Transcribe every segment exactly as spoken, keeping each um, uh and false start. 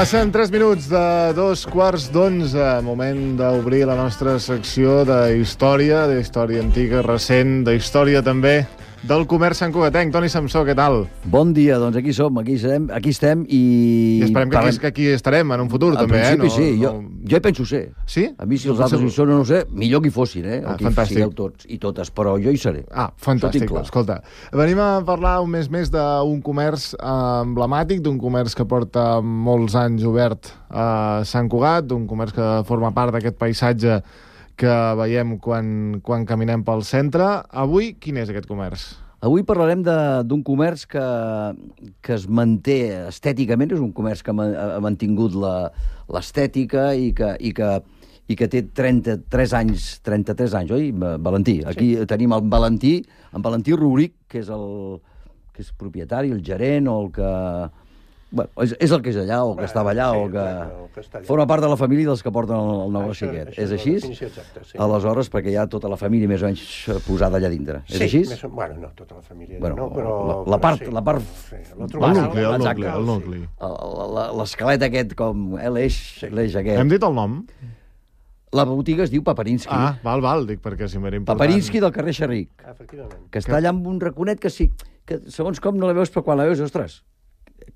Passen tres minuts de dos quarts d'onze. Moment d'obrir la nostra secció d'història, d'història antiga, recent, d'història també del comerç santcugatenc. Toni Samsó, què tal? Bon dia, doncs aquí som, aquí estem, aquí estem i... I esperem que aquí, que aquí estarem en un futur, en també, eh? En principi, sí. No... Jo, jo hi penso ser. Sí? A mi, si els altres hi són o no ho sé, millor que hi fossin, eh? Ah, o que fantàstic. hi sigueu tots i totes, però jo hi seré. Ah, fantàstic. Escolta, venim a parlar un mes més d'un comerç eh, emblemàtic, d'un comerç que porta molts anys obert a Sant Cugat, d'un comerç que forma part d'aquest paisatge que veiem quan, quan caminem pel centre. Avui, quin és aquest comerç? Avui parlarem d'un comerç que, que es manté estèticament, és un comerç que ha mantingut l'estètica i que, i, que, i que té trenta-tres anys, trenta-tres anys, oi, Valentí? Aquí sí. Tenim el Valentí, en Valentí Rouric, que és el que és propietari, el gerent, o el que... Bueno, és, és el que és allà, o el que estava allà, sí, o el que... Bueno, el que forma part de la família dels que porten el, el negoci aquest. Això és així? Exacta, sí. Aleshores, perquè hi ha tota la família més o menys posada allà dintre. Sí, és així? Més, bueno, no, tota la família bueno, no, però... La, la part... Però sí. La part sí, el nucli, el nucli, el nucli. L'esquelet aquest, com eh, l'eix sí. aquest. Hem dit el nom? La botiga es diu Paparinsky. Ah, val, val, dic perquè si m'era important. Paparinsky del carrer Xerric. Ah, efectivament. Que està allà amb un raconet que sí, que segons com no la veus, però quan la veus, ostres,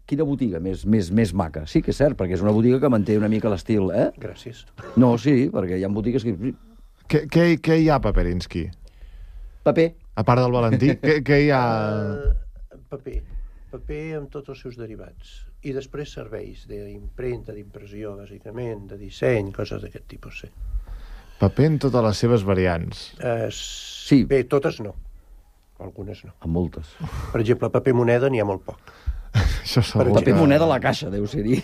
quina botiga més, més, més maca. Sí que és cert, perquè és una botiga que manté una mica l'estil, eh? Gràcies. No, sí, perquè hi ha botigues que... Què, què, què hi ha a Paparinsky? Paper. A part del Valentí, què, què hi ha... Uh, paper. Paper amb tots els seus derivats. I després serveis d'impremta, d'impressió, bàsicament, de disseny, coses d'aquest tipus, sí. Paper en totes les seves variants. Uh, sí. Bé, totes no. Algunes no. A moltes. Per exemple, paper moneda n'hi ha molt poc. Això per paper que... moneda a la caixa, deu ser dir.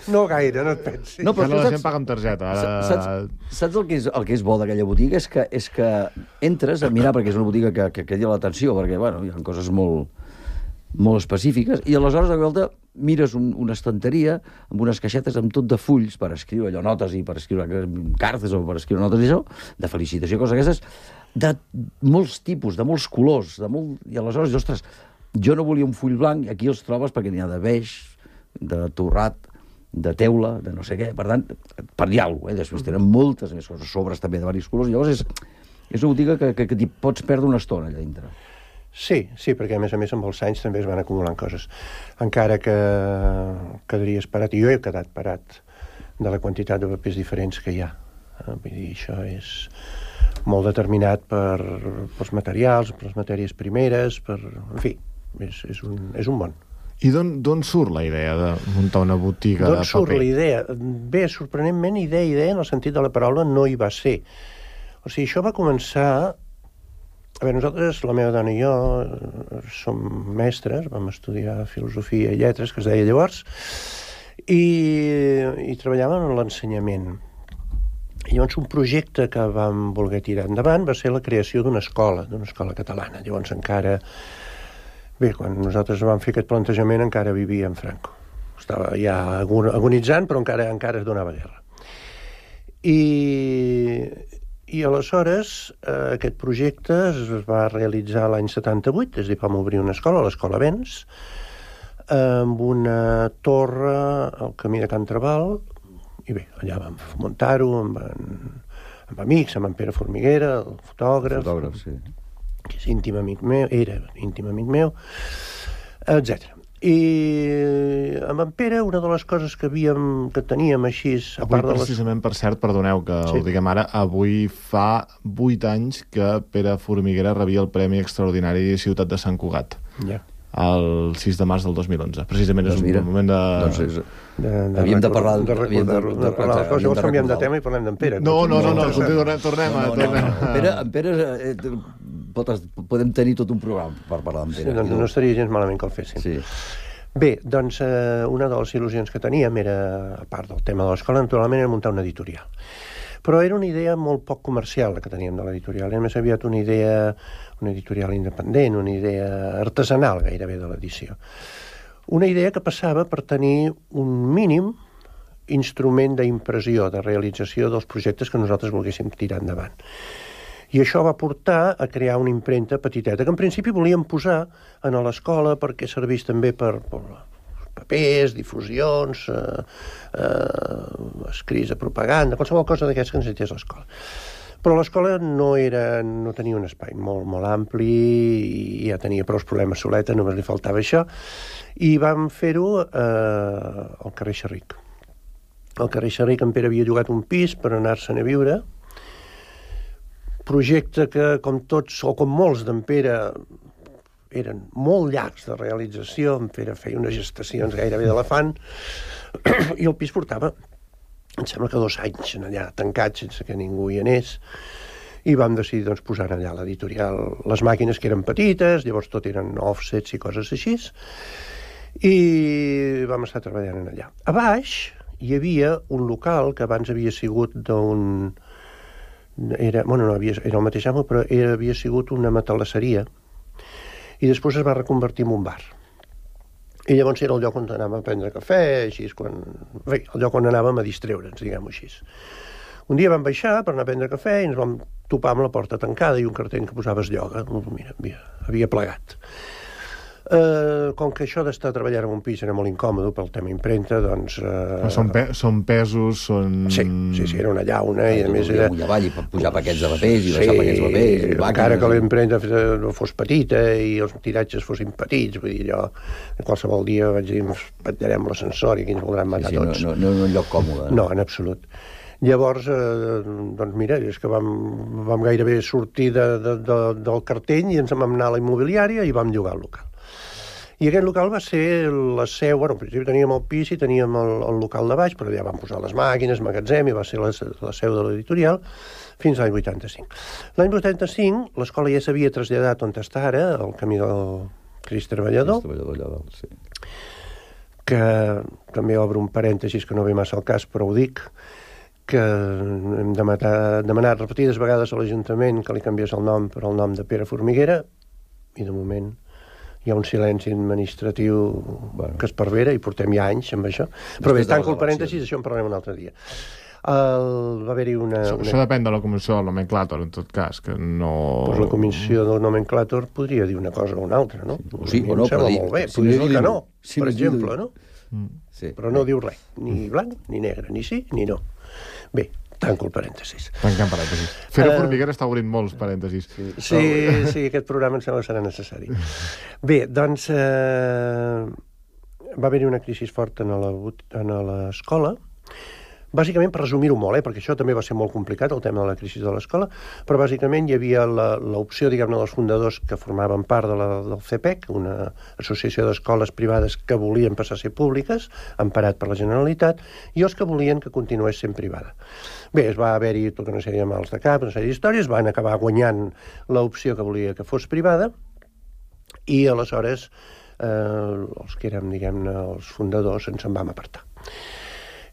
No gaire, no et pensis. No, però la gent paga amb targeta. Ara... Saps, saps el, que és, el que és bo d'aquella botiga? És que, és que entres a mirar, perquè és una botiga que, que crida l'atenció, perquè bueno, hi ha coses molt, molt específiques, i aleshores de volta mires un, una estanteria amb unes caixetes amb tot de fulls per escriure allò, notes i per escriure cartes o per escriure notes i això, de felicitació, coses aquestes, de molts tipus, de molts colors, de molt... i aleshores, ostres, jo no volia un full blanc, i aquí els trobes perquè n'hi ha de beix, de torrat, de teula, de no sé què, per tant, per dir alguna cosa, eh? Després tenen moltes més coses, sobres també de diversos colors, llavors és, és una botiga que, que, que t'hi pots perdre una estona allà dintre. Sí, sí, perquè a més a més amb els anys també es van acumulant coses. Encara que quedaries parat, i jo he quedat parat de la quantitat de papers diferents que hi ha. Vull dir, això és molt determinat per, pels materials, per les matèries primeres, per... En fi, és, és, un, és un món. I d'on surt la idea de muntar una botiga de paper? D'on surt la idea? Bé, sorprenentment, idea, idea, en el sentit de la paraula, no hi va ser. O sigui, això va començar... A veure, nosaltres, la meva dona i jo, som mestres, vam estudiar filosofia i lletres, que es deia llavors, i, i treballàvem en l'ensenyament. I llavors un projecte que vam voler tirar endavant va ser la creació d'una escola, d'una escola catalana. Llavors encara... Bé, quan nosaltres vam fer aquest plantejament encara vivia en Franco. Estava ja agonitzant, però encara encara es donava guerra. I... I aleshores eh, aquest projecte es va realitzar l'any setanta-vuit, és a dir, vam obrir una escola, l'Escola Vents, amb una torre al camí de Can Trabal, i bé, allà vam muntar-ho amb, en, amb amics, amb en Pere Formiguera, el fotògraf, fotògraf sí. que és íntim amic meu, era íntim amic meu, etcètera. I amb en Pere, una de les coses que havíem, que teníem així... A avui, part de les... precisament, per cert, perdoneu que sí. ho diguem ara, avui fa vuit anys que Pere Formiguera rebia el Premi Extraordinari Ciutat de Sant Cugat. Ja. El sis de març del dos mil onze. Precisament doncs és un mira, moment de... Doncs és... De, de havíem de parlar... De recordar-ho. De, de, de, de, de, de, llavors canviem de tema i parlem d'en Pere. No, no, no, no, no tornem, tornem no, a... No, no, no. Pere, en Pere... Eh, pot, podem tenir tot un programa per parlar d'en Pere. Sí, doncs no estaria gens malament que el fessin. Sí. Bé, doncs eh, una de les il·lusions que teníem era, a part del tema de l'escola, naturalment era muntar una editorial. Però era una idea molt poc comercial la que teníem de l'editorial. Era més aviat una idea, una editorial independent, una idea artesanal gairebé de l'edició. Una idea que passava per tenir un mínim instrument d'impressió, de realització dels projectes que nosaltres volguéssim tirar endavant. I això va portar a crear una impremta petiteta, que en principi volíem posar a l'escola perquè servís també per, per papers, difusions, eh, eh, escrits de propaganda, qualsevol cosa d'aquestes que necessités l'escola. Però l'escola no era, no tenia un espai molt, molt ampli i ja tenia prou problemes soleta, només li faltava això, i vam fer-ho eh, al carrer Xerric. Al carrer Xerric en Pere havia llogat un pis per anar-se'n a viure, projecte que, com tots, o com molts d'en Pere, eren molt llargs de realització, en Pere feia unes gestacions gairebé d'elefant, i el pis portava, em sembla que dos anys en allà, tancat sense que ningú hi anés, i vam decidir doncs, posar allà l'editorial, les màquines que eren petites, llavors tot eren offsets i coses així, i vam estar treballant en allà. A baix hi havia un local que abans havia sigut d'un... Era, bueno, no havia, era el mateix amo, però era, havia sigut una matalasseria, i després es va reconvertir en un bar. I llavors era el lloc on anàvem a prendre cafè, així, quan... Bé, el lloc on anàvem a distreure'ns, diguem-ho així. Un dia vam baixar per anar a prendre cafè i ens vam topar amb la porta tancada i un cartell que posava es lloga. Mira, havia, havia plegat. Uh, com que això d'estar treballant en un pis era molt incòmode pel tema impremta, doncs... Uh... Són, pe són pesos, són... Sí, sí, sí, era una llauna i a més era... Amunt i avall i pujar paquets de papers i baixar paquets de papers... Sí, encara que l'impremta fos petita i els tiratges fossin petits, vull dir, jo qualsevol dia vaig dir, ens patllarem l'ascensor i aquí ens voldran matar sí, sí, tots. No, no, no en un lloc còmode. No, en absolut. Llavors, eh, doncs mira, és que vam, vam gairebé sortir de, de, de, del cartell i ens vam anar a la immobiliària i vam llogar el local. I aquest local va ser la seu, bueno, al principi teníem el pis i teníem el, el local de baix, però ja vam posar les màquines, magatzem, i va ser la, la seu de l'editorial fins a l'any vuitanta-cinc. L'any vuitanta-cinc l'escola ja s'havia traslladat on està ara, al camí del Crist Treballador, Crist Treballador, allà, sí. Que també obre un parèntesis que no ve massa al cas, però ho dic, que hem demanat repetides vegades a l'Ajuntament que li canviés el nom per el nom de Pere Formiguera, i de moment hi ha un silenci administratiu bueno. que es pervera i portem ja anys amb això. Però bé, tanco el parèntesis, això en parlarem un altre dia. El, va haver-hi una, això, una... Això depèn de la comissió del nomenclàtor, en tot cas, que no... Pues la comissió del nomenclàtor podria dir una cosa o una altra, no? Sí, o no, em sembla dir, molt bé, si podria no dir que no, si per no exemple, diu... no? Mm. Sí. Però no diu res, ni blanc ni negre, ni sí ni no. Bé, tanco el parèntesis. Tanquem parèntesis. Fere Uh, Formiguera està obrint molts parèntesis. Sí, sí, sí, aquest programa em sembla que serà necessari. Bé, doncs eh, va haver-hi una crisi forta en l'escola, bàsicament, per resumir-ho molt, eh, perquè això també va ser molt complicat, el tema de la crisi de l'escola, però bàsicament hi havia l'opció, diguem-ne, dels fundadors que formaven part de la, del C P E C, una associació d'escoles privades que volien passar a ser públiques, emparat per la Generalitat, i els que volien que continués sent privada. Bé, es va haver-hi tota una sèrie de mals de cap, una sèrie d'històries, van acabar guanyant l'opció que volia que fos privada, i aleshores eh, els que érem, diguem-ne, els fundadors ens en vam apartar.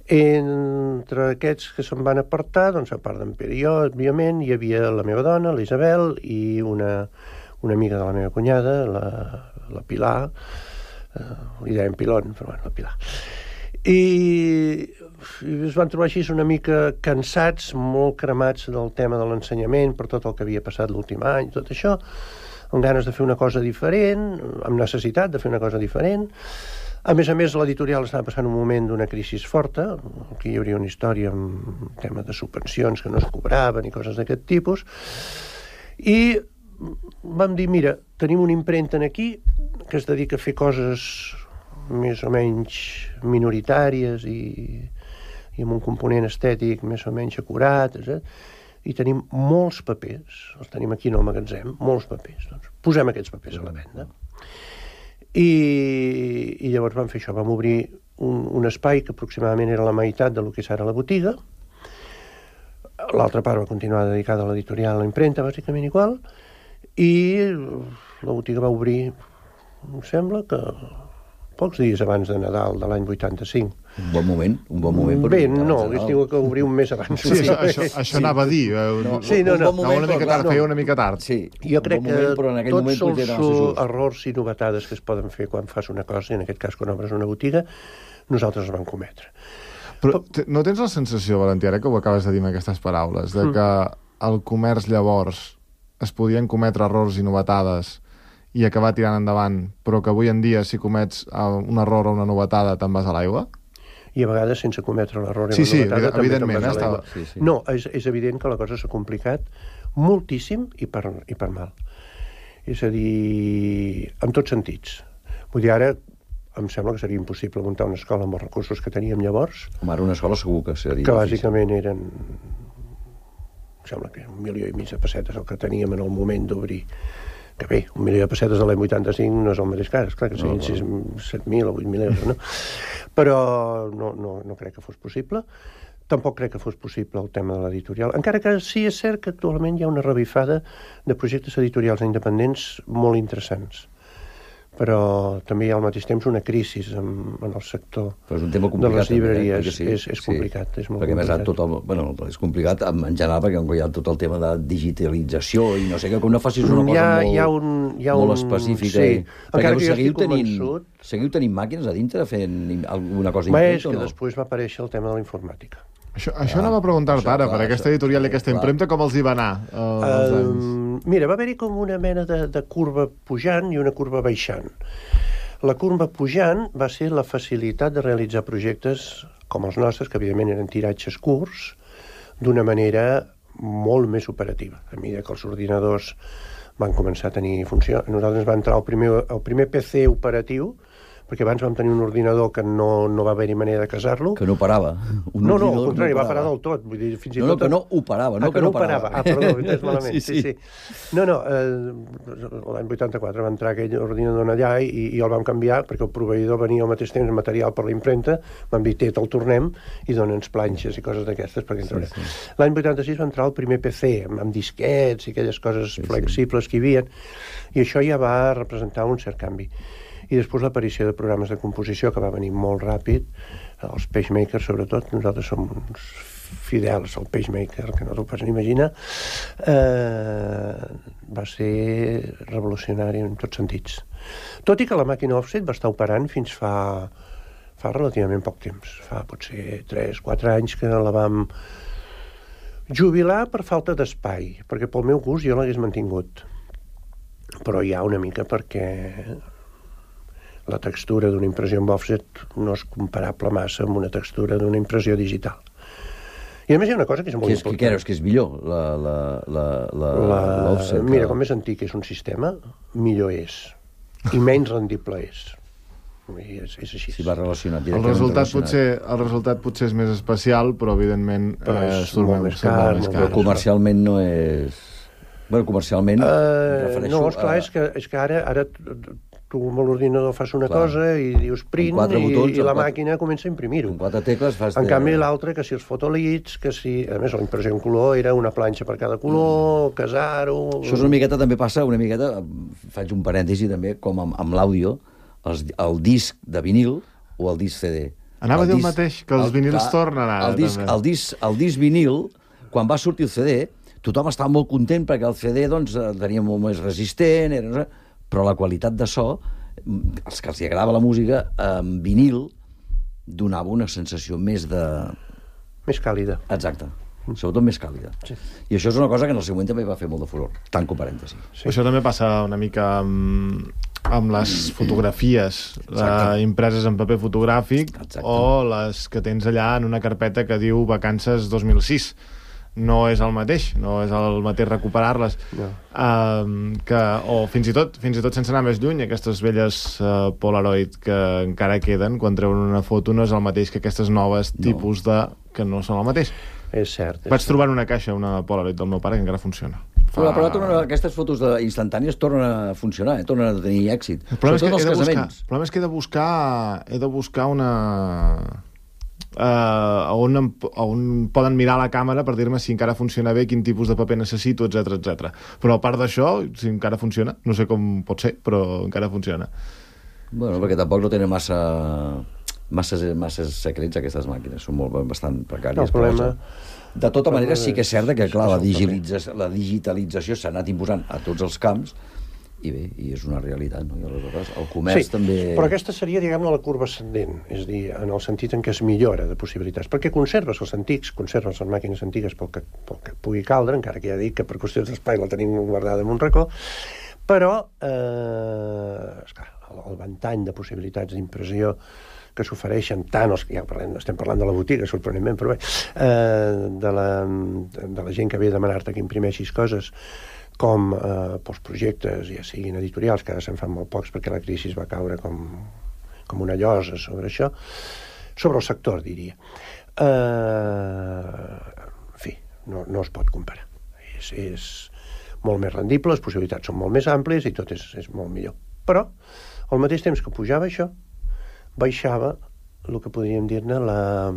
Entre aquests que se'n van apartar, doncs a part d'en Pere i jo, òbviament, hi havia la meva dona, l'Isabel, i una, una amiga de la meva cunyada, la, la Pilar, eh, li dèiem Pilon, però bueno, la Pilar. I, i es van trobar així una mica cansats, molt cremats del tema de l'ensenyament, per tot el que havia passat l'últim any, tot això, amb ganes de fer una cosa diferent, amb necessitat de fer una cosa diferent. A més a més, l'editorial estava passant un moment d'una crisi forta, aquí hi hauria una història amb tema de subvencions que no es cobraven i coses d'aquest tipus, i vam dir, mira, tenim una impremta aquí que es dedica a fer coses més o menys minoritàries i, i amb un component estètic més o menys acurat, etcètera, i tenim molts papers, els tenim aquí en el magatzem, molts papers. Doncs posem aquests papers a la venda. I, i llavors vam fer això, vam obrir un, un espai que aproximadament era la meitat del que és ara la botiga. L'altra part va continuar dedicada a l'editorial, a la impremta, bàsicament igual, i la botiga va obrir, em sembla que pocs dies abans de Nadal de l'any vuitanta-cinc. Un bon moment, un bon moment. Per Bé, no, hauria tingut que obrir un mes abans. Sí, això, això, això anava a dir. No, sí, no, no. Un bon moment, una mica tard, no. feia una mica tard. Sí, jo crec bon moment, però en que aquell tots moment els just. errors i novetades que es poden fer quan fas una cosa, i en aquest cas quan obres una botiga, nosaltres els vam cometre. Però no tens la sensació, Valentí, ara que ho acabes de dir amb aquestes paraules, de que el comerç llavors es podien cometre errors i novetades i acabar tirant endavant, però que avui en dia, si comets uh, un error o una novetada, te'n vas a l'aigua? I a vegades, sense cometre l'error i sí, una sí, novetada, també te'n evidentment, vas a eh, l'aigua. estava... Sí, sí. No, és, és evident que la cosa s'ha complicat moltíssim i per, i per mal. És a dir, en tots sentits. Vull dir, ara em sembla que seria impossible muntar una escola amb els recursos que teníem llavors. Home, ara una escola segur que seria que difícil. bàsicament eren, em sembla que un milió i mig de pessetes el que teníem en el moment d'obrir. Que bé, un milió de pessetes de l'any vuitanta-cinc no és el mateix cas, clar que serien no, set mil o vuit mil euros, no? Però no, no, no crec que fos possible. Tampoc crec que fos possible el tema de l'editorial, encara que sí és cert que actualment hi ha una revifada de projectes editorials independents molt interessants. Però també hi ha al mateix temps una crisi en, en el sector però és un tema de les llibreries. També, eh? Sí, és, és complicat. Sí. És molt perquè complicat. més tot el, bueno, és complicat en general perquè hi ha tot el tema de digitalització i no sé, que no facis una cosa hi ha, molt, hi ha un, hi ha molt un... específica. Sí. I, perquè Encara que jo seguiu estic tenint, convençut... seguiu tenint màquines a dintre fent alguna cosa Ma important és que o no? després va aparèixer el tema de la informàtica. Això, això anava a preguntar-te ara, per aquesta editorial i aquesta impremta, com els hi va anar eh, els anys? Uh, mira, va haver-hi com una mena de, de curva pujant i una curva baixant. La curva pujant va ser la facilitat de realitzar projectes com els nostres, que evidentment eren tiratges curts, d'una manera molt més operativa. A mesura que els ordinadors van començar a tenir funció, nosaltres va entrar el primer, el primer P C operatiu, perquè abans vam tenir un ordinador que no, no va haver-hi manera de casar-lo. Que no parava. Un no, no, al contrari, no va parar del tot. Vull dir, fins i no, no, tot... que no operava, no, ah, que, que no no parava. parava. Ah, perdó, ho he entès malament. sí, sí. sí, sí. No, no, eh, l'any vuitanta-quatre va entrar aquell ordinador allà i, i el vam canviar perquè el proveïdor venia al mateix temps material per la impremta, vam dir, té, te'l tornem i dona'ns planxes i coses d'aquestes perquè sí, sí. L'any vuitanta-sis va entrar el primer P C amb, amb disquets i aquelles coses sí, flexibles sí. que hi havia, i això ja va representar un cert canvi. I després l'aparició de programes de composició, que va venir molt ràpid, els PageMaker sobretot, nosaltres som uns fidels al PageMaker, que no t'ho pots ni imaginar, eh, va ser revolucionari en tots sentits. Tot i que la màquina offset va estar operant fins fa, fa relativament poc temps, fa potser tres quatre anys que la vam jubilar per falta d'espai, perquè pel meu gust jo l'hagués mantingut. Però hi ha una mica perquè la textura d'una impressió amb offset no és comparable massa amb una textura d'una impressió digital. I a més hi ha una cosa que és molt que és, important. Que creus que és millor, la, la, la, la, la, l'offset? mira, com més antic és un sistema, millor és. I menys rendible és. I és, és així. Si va relacionat El resultat, potser, el resultat potser és més especial, però evidentment però és eh, molt més car. més Molt car. més Comercialment no és... Bueno, comercialment... Uh, no, esclar, a... és que, és que ara, ara tu amb l'ordinador fas una clar. cosa i dius print i, botons, i la quatre... màquina comença a imprimir-ho. Amb quatre tecles fas... En de... canvi, l'altre, que si els fotolits, que si... A més, la impressió en color era una planxa per cada color, mm. casar-ho... Això és una miqueta, també passa, una miqueta, faig un parèntesi també, com amb, amb l'àudio, el, el disc de vinil o el disc C D. Anava el a dir el disc, mateix, que els el, vinils clar, tornen ara, el disc, també. El disc, el disc vinil, quan va sortir el C D, tothom estava molt content perquè el C D doncs, tenia molt més resistent, era... però la qualitat de so, els que els agradava la música, en vinil donava una sensació més de... Més càlida. Exacte. Sobretot més càlida. Sí. I això és una cosa que en el seu moment també va fer molt de furor. Tanco parèntesi. Sí. Això també passa una mica amb, amb les fotografies eh, impreses en paper fotogràfic. Exacte. O les que tens allà en una carpeta que diu Vacances dos mil sis. No és el mateix, no és el mateix recuperar-les. No. Uh, que, o fins i tot fins i tot sense anar més lluny, aquestes velles uh, Polaroid que encara queden, quan treuen una foto no és el mateix que aquestes noves no. tipus de... que no són el mateix. És cert. És Vaig cert. trobar en una caixa una Polaroid del meu pare que encara funciona. Fa... Però, però tornen, aquestes fotos de, instantànies tornen a funcionar, eh? Tornen a tenir èxit. El problema, és que els he de buscar, casaments. el problema és que he de buscar, he de buscar una... Uh, on, em, on poden mirar la càmera per dir-me si encara funciona bé, quin tipus de paper necessito, etc etcètera. Però a part d'això, si encara funciona, no sé com pot ser, però encara funciona. Bueno, perquè tampoc no tenen massa massa, massa secrets aquestes màquines, són molt, bastant precàries. No, el problema... De tota manera, sí que és cert que, clar, la, digitalització, la digitalització s'ha anat imposant a tots els camps, i bé, i és una realitat, no? I aleshores el comerç sí, també... però aquesta seria, diguem-ne, la curva ascendent, és a dir, en el sentit en què es millora de possibilitats, perquè conserves els antics, conserves les màquines antigues pel que, pel que pugui caldre, encara que ja dic que per qüestions d'espai la tenim guardada en un racó, Però, eh, esclar, el, el ventall de possibilitats d'impressió que s'ofereixen tant els que ja parlem, estem parlant de la botiga, sorprenentment, però bé, eh, de, la, de la gent que ve a demanar-te que imprimeixis coses, com eh, pels projectes, ja siguin editorials, que ara se'n fan molt pocs perquè la crisi va caure com, com una llosa sobre això, sobre el sector, diria. Eh, en fi, no, no es pot comparar. És, és molt més rendible, les possibilitats són molt més àmplies i tot és, és molt millor. Però, al mateix temps que pujava això, baixava el que podríem dir-ne la,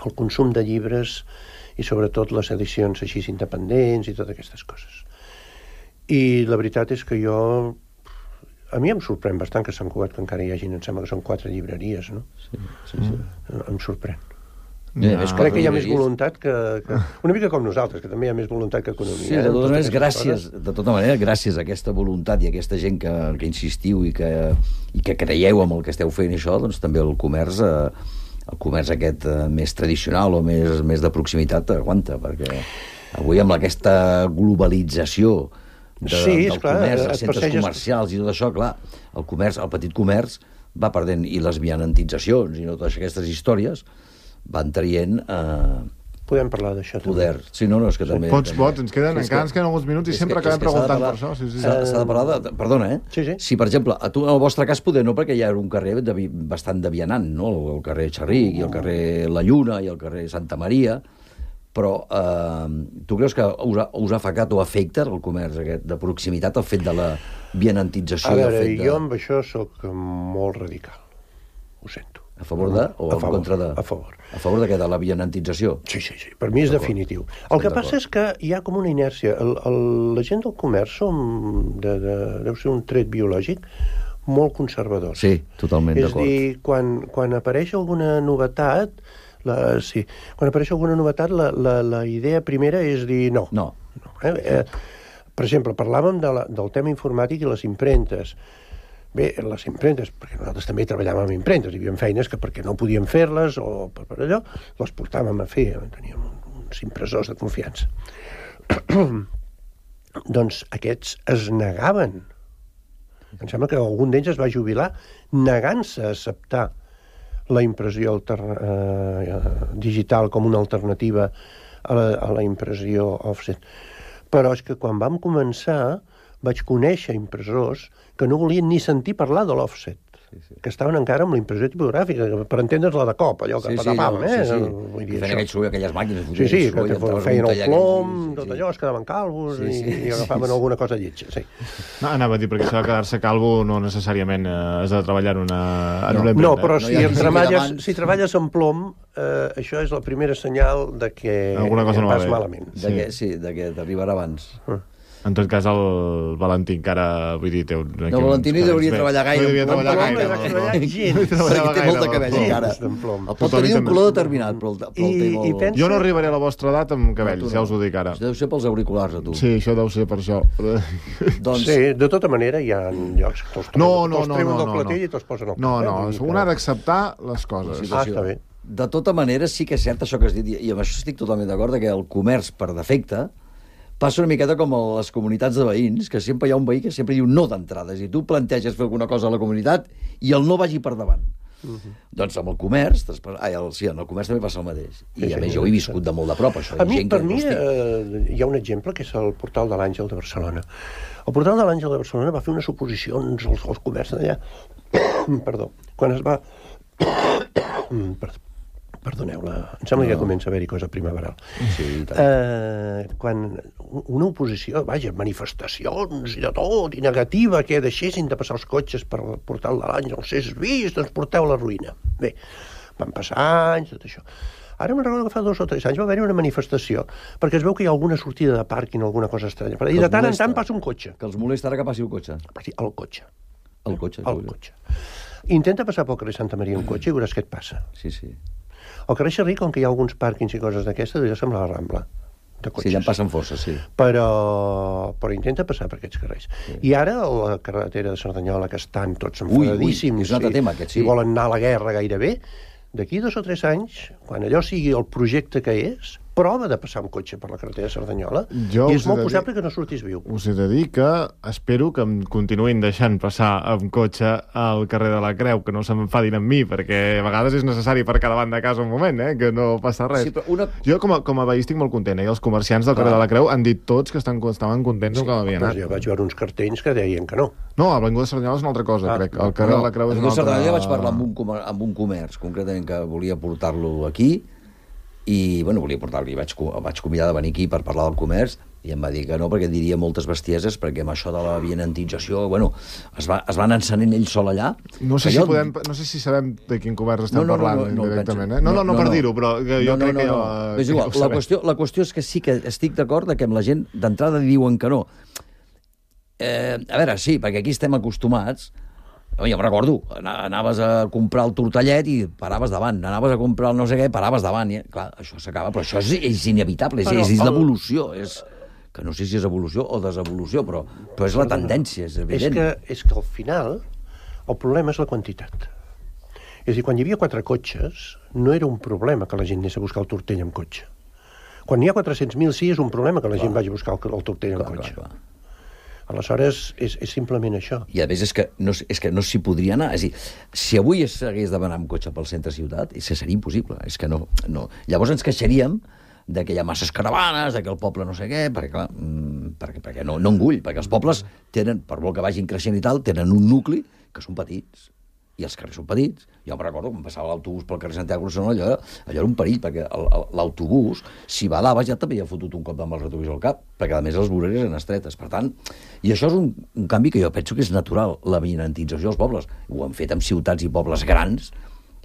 el consum de llibres i sobretot les edicions així independents i totes aquestes coses. I la veritat és que jo... A mi em sorprèn bastant que Sant Cugat, que encara hi hagi, em sembla que són quatre llibreries, no? Sí, sí, sí. Mm. Em sorprèn. No, no, crec que hi ha més voluntat que, que... Una mica com nosaltres, que també hi ha més voluntat que economia. Sí, de totes maneres, gràcies, de tota manera, gràcies a aquesta voluntat i a aquesta gent que, que insistiu i que, i que creieu amb el que esteu fent això, doncs també el comerç, eh, el comerç aquest eh, més tradicional o més, més de proximitat aguanta, perquè avui amb aquesta globalització de, sí, del clar, comerç, els centres persegues... comercials i tot això, clar, el comerç, el petit comerç va perdent, i les vianantitzacions i no totes aquestes històries van traient eh, podem parlar d'això poder. Sí, no, no, és que també... Pots, també... pots, ens queden, és encara que, ens queden alguns minuts i sempre que, acabem preguntant per això. Sí, sí. S'ha de parlar de... Perdona, eh? Sí, sí. Si, per exemple, a tu, en el vostre cas, poder no, perquè hi ha un carrer de, bastant de vianant, no? El carrer Xerric, i el carrer La Lluna, i el carrer Santa Maria, però eh, tu creus que us ha, us ha afectat o afecta el comerç aquest de proximitat, el fet de la vianantització? A veure, el fet de... jo amb això sóc molt radical. Ho sento. A favor de o a favor, en contra de? A favor. A favor de què? De la vianantització? Sí, sí, sí. Per mi és definitiu. El que passa és que hi ha com una inèrcia. El, el, la gent del comerç som, de, de, deu ser un tret biològic, molt conservadors. Sí, totalment d'acord. És dir, quan, quan apareix alguna novetat, la, sí, quan apareix alguna novetat, la, la, la idea primera és dir no. No. no eh? Eh, per exemple, parlàvem de la, del tema informàtic i les impremtes. Bé, les impremtes, perquè nosaltres també treballàvem amb impremtes, hi havia feines que perquè no podíem fer-les o per, per allò, les portàvem a fer, teníem uns impressors de confiança. Doncs aquests es negaven. Em sembla que algun d'ells es va jubilar negant-se a acceptar la impressió eh, digital com una alternativa a la, a la impressió offset. Però és que quan vam començar vaig conèixer impressors que no volien ni sentir parlar de l'offset, sí, sí. que estaven encara amb la impressió tipogràfica, per entendre's-la de cop, allò que sí, patapam, sí, eh? Sí, sí. Vull dir, que feien aquell soroll, aquelles màquines. Sí, sí, que te feien el plom, sí, sí, tot sí. allò, es quedaven calvos sí, sí, i, i agafaven sí, sí. alguna cosa lletja, sí. No, anava a dir, perquè això de quedar-se calvo no necessàriament eh, has de treballar en una, en no, una no, impremta. però No si, hi ha em qui treballes, sigui si treballes amb plom, eh, això és la primera senyal de que alguna cosa no va vas bé. malament. De sí. Que, sí, de que t'arribarà abans. Uh. En tot cas, el Valentí encara... Vull dir, té un, no, Valentí no hi hauria de treballar gaire. No hi hauria de treballar gaire. gaire. No hi treballar gens. Perquè té molt de cabell, encara. El pot tenir un color determinat, però el, però el té molt... I pensa... Jo no arribaré a la vostra edat amb cabells, no, ja us ho dic ara. Això deu ser pels auriculars, a tu. Sí, això deu ser per això. doncs... Sí, de tota manera hi ha llocs que te'ls no, no, no, treuen no, del no, clatell no. i te'ls posen al No, cap. no, eh? un ha d'acceptar les coses. Ah, està bé. De tota manera, sí que és cert això que has dit, i amb això estic totalment d'acord, que el comerç, per defecte, passa una miqueta com a les comunitats de veïns, que sempre hi ha un veí que sempre diu no d'entrades, i tu planteges fer alguna cosa a la comunitat i el no vagi per davant. Uh -huh. Doncs amb el comerç, ai, el, sí, en el comerç també passa el mateix. I sí, a sí, més jo ho he viscut de molt de prop, això. A mi, gent per que, mi, hosti... eh, hi ha un exemple que és el portal de l'Àngel de Barcelona. El portal de l'Àngel de Barcelona va fer unes oposicions als, als comerç d'allà. Perdó. Quan es va... Perdó. Perdoneu-la, em sembla no. que comença a haver-hi cosa primaveral. Sí, eh, quan una oposició, vaja, manifestacions i de tot, i negativa, que deixessin de passar els cotxes per el portal de l'Àngel, si és vist, ens porteu a la ruïna. Bé, van passar anys, tot això. Ara me'n recordo que fa dos o tres anys va haver-hi una manifestació, perquè es veu que hi ha alguna sortida de pàrquing o alguna cosa estranya. I de tant en tant passa un cotxe. Que els molesta ara que passi un cotxe. El cotxe. El cotxe. El cotxe. Intenta passar pel carrer Santa Maria un cotxe i veuràs què et passa. Sí, sí. Al carrer Xerric, com que hi ha alguns pàrquings i coses d'aquestes, ja sembla la Rambla de cotxes. Sí, ja en passen força, sí. Però, però intenta passar per aquests carrers. Sí. I ara, la carretera de Cerdanyola, que estan tots enfadadíssims... Ui, ui, és un altre tema, aquest, sí. I volen anar a la guerra gairebé, d'aquí dos o tres anys, quan allò sigui el projecte que és, prova de passar un cotxe per la carretera de Cerdanyola Jo i us és he molt de dir- possible que no sortis viu. Us he de dir que espero que em continuïn deixant passar amb cotxe al carrer de la Creu, que no s'enfadin amb mi, perquè a vegades és necessari per cada davant de casa un moment, eh? Que no passa res. Sí, però una... Jo, com a, com a veí, estic molt content, eh? I els comerciants del carrer Clar. de la Creu han dit tots que estan, estaven contents amb que m'havia Doncs anat. jo vaig veure uns cartells que deien que no. No, a l'Avinguda de Cerdanyola és una altra cosa, Ah, crec. El carrer no, de la Creu és el una Lluís altra... Cerdanyola vaig parlar amb un, comer amb un comerç, concretament, que volia portar-lo aquí, i, bueno, volia portar-lo, i vaig, el vaig convidar de venir aquí per parlar del comerç, i em va dir que no, perquè diria moltes bestieses, perquè amb això de la vianantització, bueno, es, va, es van encenent ell sol allà. No sé, Que si jo- podem, no sé si sabem de quin comerç estem No, no, no, parlant no, no ho directament. penso. Eh? No, no, no, No, per no. dir-ho, però que jo no, no, crec que no, ja... no. És que igual, ho la sabem. qüestió, la qüestió és que sí que estic d'acord que amb la gent d'entrada diuen que no. Eh, a veure, sí, perquè aquí estem acostumats. Jo em recordo, ana- anaves a comprar el tortellet i paraves davant, anaves a comprar el no sé què, paraves davant. I, clar, això s'acaba, però això és, és inevitable, és, Però és, és el- l'evolució, és que no sé si és evolució o desevolució, però, però és la tendència, és És evident. que, és que al final el problema és la quantitat. És a dir, quan hi havia quatre cotxes, no era un problema que la gent anés a buscar el tortell amb cotxe. Quan n'hi ha quatre-cents mil, sí, és un problema que la gent vagi a buscar el, el tortell amb Clar, cotxe. clar, clar. Aleshores, és, és simplement això. I a més és que no, és que no s'hi podria anar. És a dir, si avui s'hagués d'anar amb cotxe pel centre ciutat, és que seria impossible. És que no, no. Llavors ens queixaríem de que hi ha masses caravanes, de que el poble no sé què, perquè, clar, mm, perquè, perquè no, no engull, perquè els pobles tenen, per molt que vagin creixent i tal, tenen un nucli que són petits. I els carrers són petits. Jo em recordo quan passava l'autobús pel carrer Santiago Barcelona, allò, allò era un perill, perquè el- el- l'autobús, si badaves, ja t'havia fotut un cop amb el retrovisor al cap, perquè a més les voreres eren estretes. Per tant, i això és un, un canvi que jo penso que és natural, la vianantització dels pobles. Ho han fet en ciutats i pobles grans,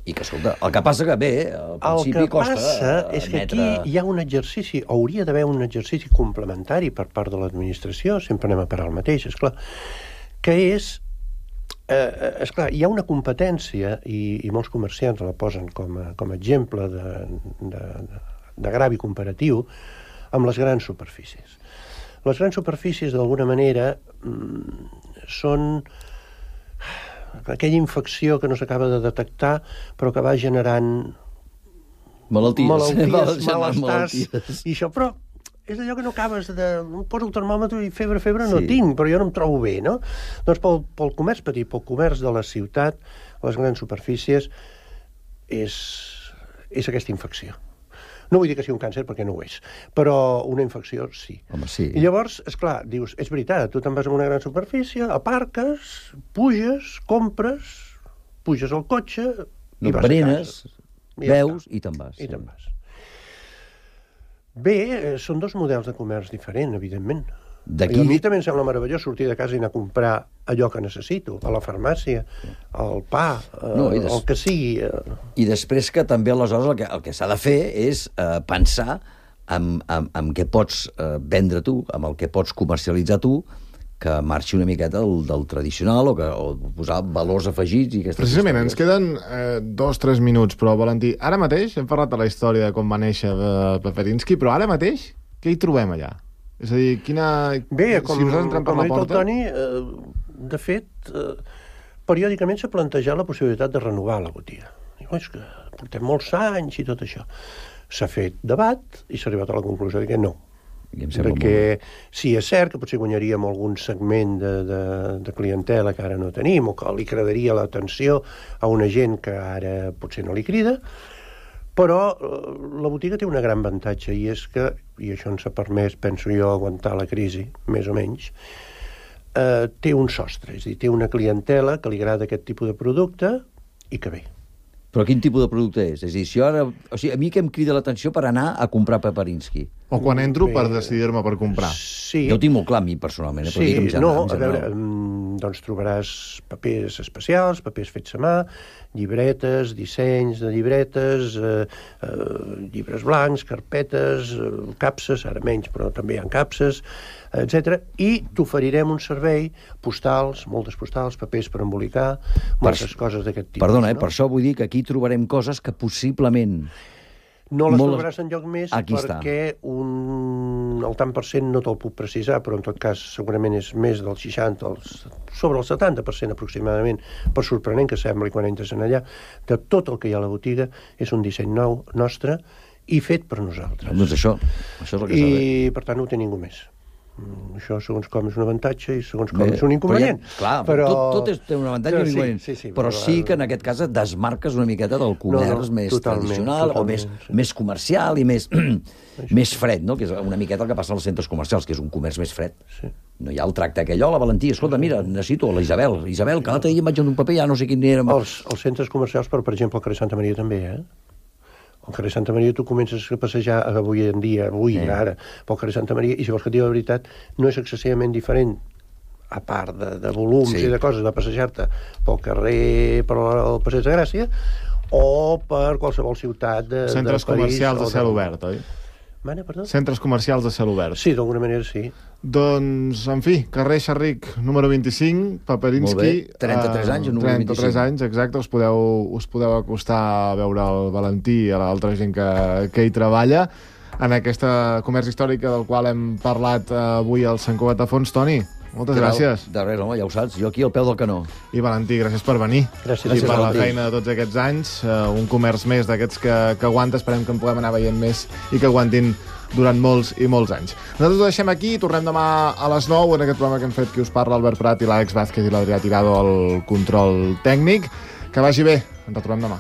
i que, escolta, el que passa que bé, al El principi que costa passa és que admetre... aquí hi ha un exercici, hauria d'haver un exercici complementari per part de l'administració, sempre anem a parar el mateix, esclar, que és, eh, esclar, hi ha una competència, i, i molts comerciants la posen com a, com a exemple de, de, de gravi comparatiu, amb les grans superfícies. Les grans superfícies, d'alguna manera, mm, són aquella infecció que no s'acaba de detectar, però que va generant Malalties. malalties, Malalties. malestars, i això, però és allò que no acabes de... Poso el termòmetre i febre, febre no Sí. tinc, però jo no em trobo bé, no? Doncs pel, pel comerç petit, pel comerç de la ciutat, les grans superfícies, és, és aquesta infecció. No vull dir que sigui un càncer, perquè no ho és, però una infecció sí. Home, sí. I llavors, és clar, dius, és veritat, tu te'n vas a una gran superfície, aparques, puges, compres, puges al cotxe No i vas berenes, a casa. I ja veus està. i te'n vas. I sí. te'n vas. Bé, eh, són dos models de comerç diferents, evidentment. D'aquí- I a mi també em sembla meravellós sortir de casa i anar a comprar allò que necessito, a la farmàcia, el pa, eh, No, i des- el que sigui. Eh. I després que també aleshores el que, el que s'ha de fer és eh, pensar en, en, en què pots eh, vendre tu, amb el que pots comercialitzar tu, que marxi una miqueta del, del tradicional o, que, o posar valors afegits i aquestes Precisament, ens històries. queden eh, dos, tres minuts, però, Valentí, ara mateix, hem parlat de la història de com va néixer eh, Peperinski, però ara mateix, què hi trobem allà? És a dir, quina... Bé, com, si nosaltres entrem per com ha la dit el porta... Toni, eh, de fet, eh, periòdicament s'ha plantejat la possibilitat de renovar la botiga. Diu, és que portem molts anys i tot això. S'ha fet debat i s'ha arribat a la conclusió de que no. I em sembla Perquè molt... sí, és cert que potser guanyaríem algun segment de, de, de clientela que ara no tenim, o que li cridaria l'atenció a una gent que ara potser no li crida, però eh, la botiga té una gran avantatge, i és que, i això ens ha permès, penso jo, aguantar la crisi, més o menys, eh, té un sostre, és a dir, té una clientela que li agrada aquest tipus de producte i que ve. Però quin tipus de producte és? És a dir, si jo ara... O sigui, a mi què em crida l'atenció per anar a comprar Peperinski? O quan entro Bé, per decidir-me per comprar. Sí. Jo ho tinc molt clar, a mi, personalment. Eh? Però Sí, dic en general, no, en a veure, general. mm, doncs trobaràs papers especials, papers fets a mà, llibretes, dissenys de llibretes, eh, eh, llibres blancs, carpetes, eh, capses, ara menys, però també hi ha capses, etcètera. I t'oferirem un servei, postals, moltes postals, papers per embolicar, moltes coses d'aquest tipus. Perdona, eh? no? Per això vull dir que aquí trobarem coses que possiblement... No les molt- trobaràs enlloc més Aquí està. perquè un... el tant per cent no te'l puc precisar, però en tot cas segurament és més del seixanta, els... sobre el setanta per cent aproximadament, per sorprenent que sembli quan entres en allà, de tot el que hi ha a la botiga és un disseny nou nostre i fet per nosaltres. Doncs això, això és el que s'ha de fer. I, per tant, no ho té ningú més. Això, segons com, és un avantatge i segons com és un inconvenient. Però ja, clar, però... tot, tot és, té un avantatge i un inconvenient. Sí, sí, sí, però, però sí que en aquest cas et desmarques una miqueta del comerç no, no, més totalment, tradicional totalment, o més, sí. més comercial i més, més fred, no? Que és una miqueta el que passa als centres comercials, que és un comerç més fred. Sí. No hi ha el tracte aquell, hola, Valentí, escolta, mira, necessito la Isabel. Isabel, que l'altre dia em vaig en un paper, ja no sé quin era... Els, els centres comercials, però, per exemple, el carrer Santa Maria també, eh? Al carrer Santa Maria tu comences a passejar avui en dia, avui, eh. ara, pel carrer Santa Maria, i si vols que et digui la veritat, no és excessivament diferent, a part de, de volums sí. i de coses, de passejar-te pel carrer, per el Passeig de Gràcia, o per qualsevol ciutat de, centres del país. Comercials de cel de... obert, oi? Mana, perdó? Centres comercials de cel obert. Sí, d'alguna manera sí. Doncs, en fi, carrer Xerric, número vint-i-cinc, Paperinski... Molt bé, trenta-tres anys, número vint-i-cinc. trenta-tres anys, exacte, us podeu, us podeu acostar a veure el Valentí i a l'altra gent que, que hi treballa en aquesta comerç històrica del qual hem parlat avui al Sant Cugat de Fons. Toni, moltes Clar, gràcies. De res, home, ja ho saps, jo aquí al peu del canó. I Valentí, gràcies per venir. Gràcies, gràcies per Valentí. la feina de tots aquests anys. Uh, un comerç més d'aquests que, que aguanta, esperem que en puguem anar veient més i que aguantin durant molts i molts anys. Nosaltres ho deixem aquí, tornem demà a les nou en aquest programa que hem fet qui us parla, Albert Prat i l'Àlex Vázquez i l'Adrià Tirado al control tècnic. Que vagi bé, ens retrobem demà.